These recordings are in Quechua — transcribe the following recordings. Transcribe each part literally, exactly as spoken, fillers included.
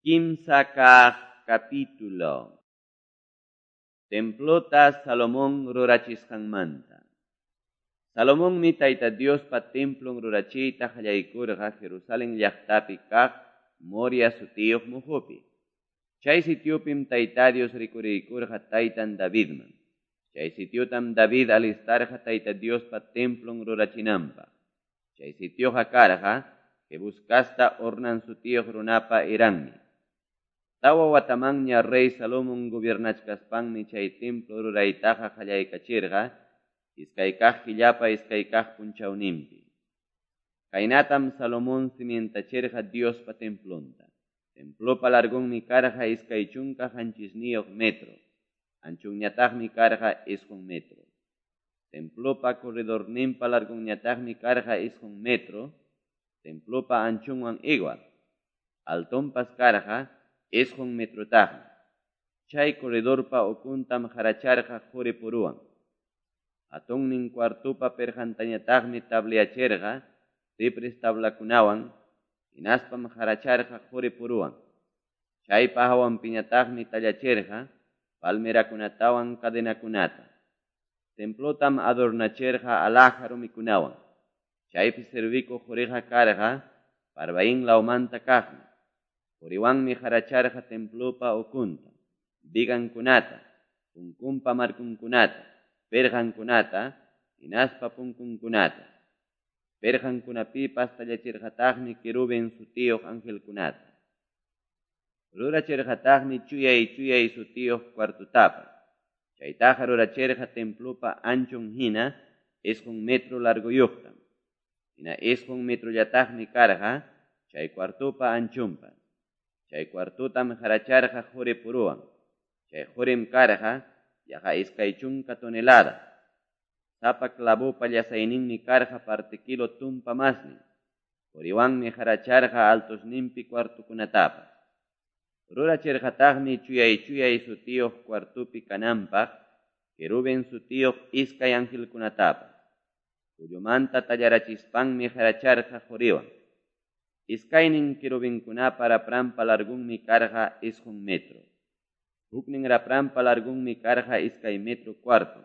Kimsa kaq capítulo. Templota Salomón rurachisqanmanta. Salomonmi Tayta Diospa templon rurachiyta qallaykurqa Jerusalén llaqtapi kaq Moria sutiyuq muqupi. Chay sitiopim Tayta Dios rikuriykurqa taytan Davidman. Chay sitiotam David alistarqa Tayta Diospa templon rurachinanpaq. Chay sitioqa karqa Jebús casta Ornan sutiyuq runapa eranmi. Tawa watamanña rey Salomón gobiernachkaspanmi chay templo ruraytaqa qallaykachirqa iskay kaq killapa iskay kaq punchawninpi. Kaynatam Salomón cimientachirqa Diospa templonta. Templopa largonmi karqa iskay chunka qanchisniyuq metro, anchonñataqmi karqa isqun metro. Templopa corredorninpa largonñataqmi karqa isqun metro, templopa anchonwan igual. Altonpas karqa isqun metrotaqmi. Chay corredorpa ukuntam qaracharqa quri puruwan. Hatunnin cuartopa pirqantañataqmi tableachirqa cipres tablakunawan, hinaspam qaracharqa quri puruwan. Chaypa hawanpiñataqmi tallachirqa palmerakunatawan cadenakunata. Templotam adornachirqa alhaja rumikunawan. Chaypi servikuq quriqa karqa Parvaim lawmanta kaqmi. Quriwanmi qaracharqa templopa ukunta, vigankunata, punkunpa markunkunata, pirqankunata, hinaspa punkunkunata. Pirqankunapipas tallachirqataqmi querubín sutiyuq angelkunata. Rurachirqataqmi chuyay chuyay sutiyuq cuartotapas. Chaytaqa rurachirqa templopa anchon hina isqun metro largoyuqtam. Hina isqun metrollataqmi karqa chay cuartopa anchonpas. Chay cuartotam qaracharqa quri puruwan. Chay qurim karqa yaqa iskay chunka tonelada. Sapa clavopa llasayninmi karqa parte kilo tumpa masnin. Quriwanmi qaracharqa altosninpi cuartokunatapas. Rurachirqataqmi chuyay chuyay sutiyuq cuartopi kananpaq querubín sutiyuq iskay angelkunatapas. Kullumanta tallarachispanmi qaracharqa quriwan. Iskaynin querubinkunapa rapranpa largunmi karqa isqun metro. Huknin rapranpa largunmi karqa iskay metro cuarto.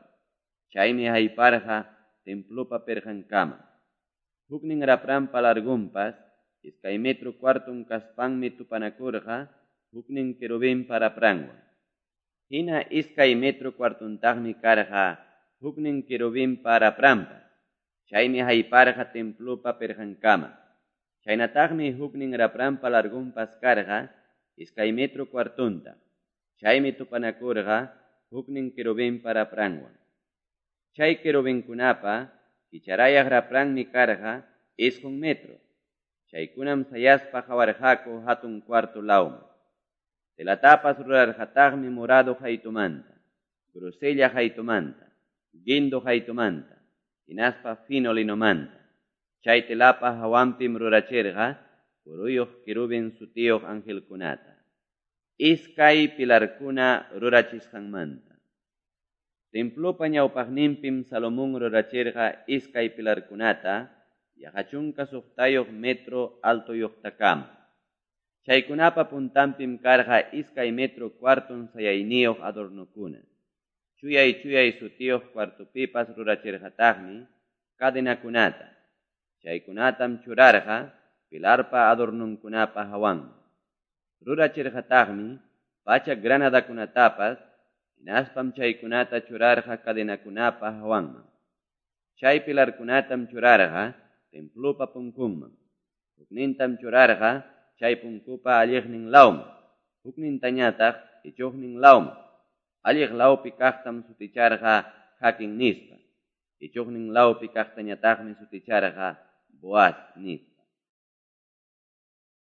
Chaymi hayparqa templopa pirqankama. Huknin rapranpa largunpas iskay metro cuarton kaspanmi tupanakurqa huknin querubinpa rapranwan. Hina iskay metro cuartontaqmi karqa huknin querubinpa rapranpas. Chaymi hayparqa templopa pirqankama. Chaynataqmi huknin rapranpa largunpas karqa iskay metro cuartonta. Chaymi tupanakurqa huknin querubinpa rapranwan. Chay querubinkunapa kicharayaq rapranmi karqa isqun metro. Chaykunam sayaspa qawarqaku hatun cuarto lawman. Telatapas rurarqataqmi morado qaytumanta, grosella qaytumanta, guindo qaytumanta, hinaspa fino linomanta. Chay telapa hawanpim rurachirqa kuruyuq querubín sutiyuq angelkunata. Iskay pilarkuna rurachisqanmanta. Templopa ñawpaqninpim Salomón rurachirqa iskay pilarkunata yaqa chunka suqtayuq metro altoyuqtakama. Chaykunapa puntanpim karqa iskay metro cuarton sayayniyuq adornokuna. Chuyay chuyay sutiyuq cuartopipas rurachirqataqmi cadenakunata. Chaykunatam churarqa pilarpa adornunkunapa hawanman. Rurachirqataqmi pacha granadakunatapas, hinaspam chaykunata churarqa cadenakunapa hawanman. Chay pilarkunatam churarqa templopa punkunman. Huknintam churarqa chay punkupa alliqnin lawman. Huknintañataq ichuqnin lawman. Alliq lawpi kaqtam suticharqa Jaquín nispa. Ichuqnin lawpi kaqtañataqmi suticharqa Boaz nispa.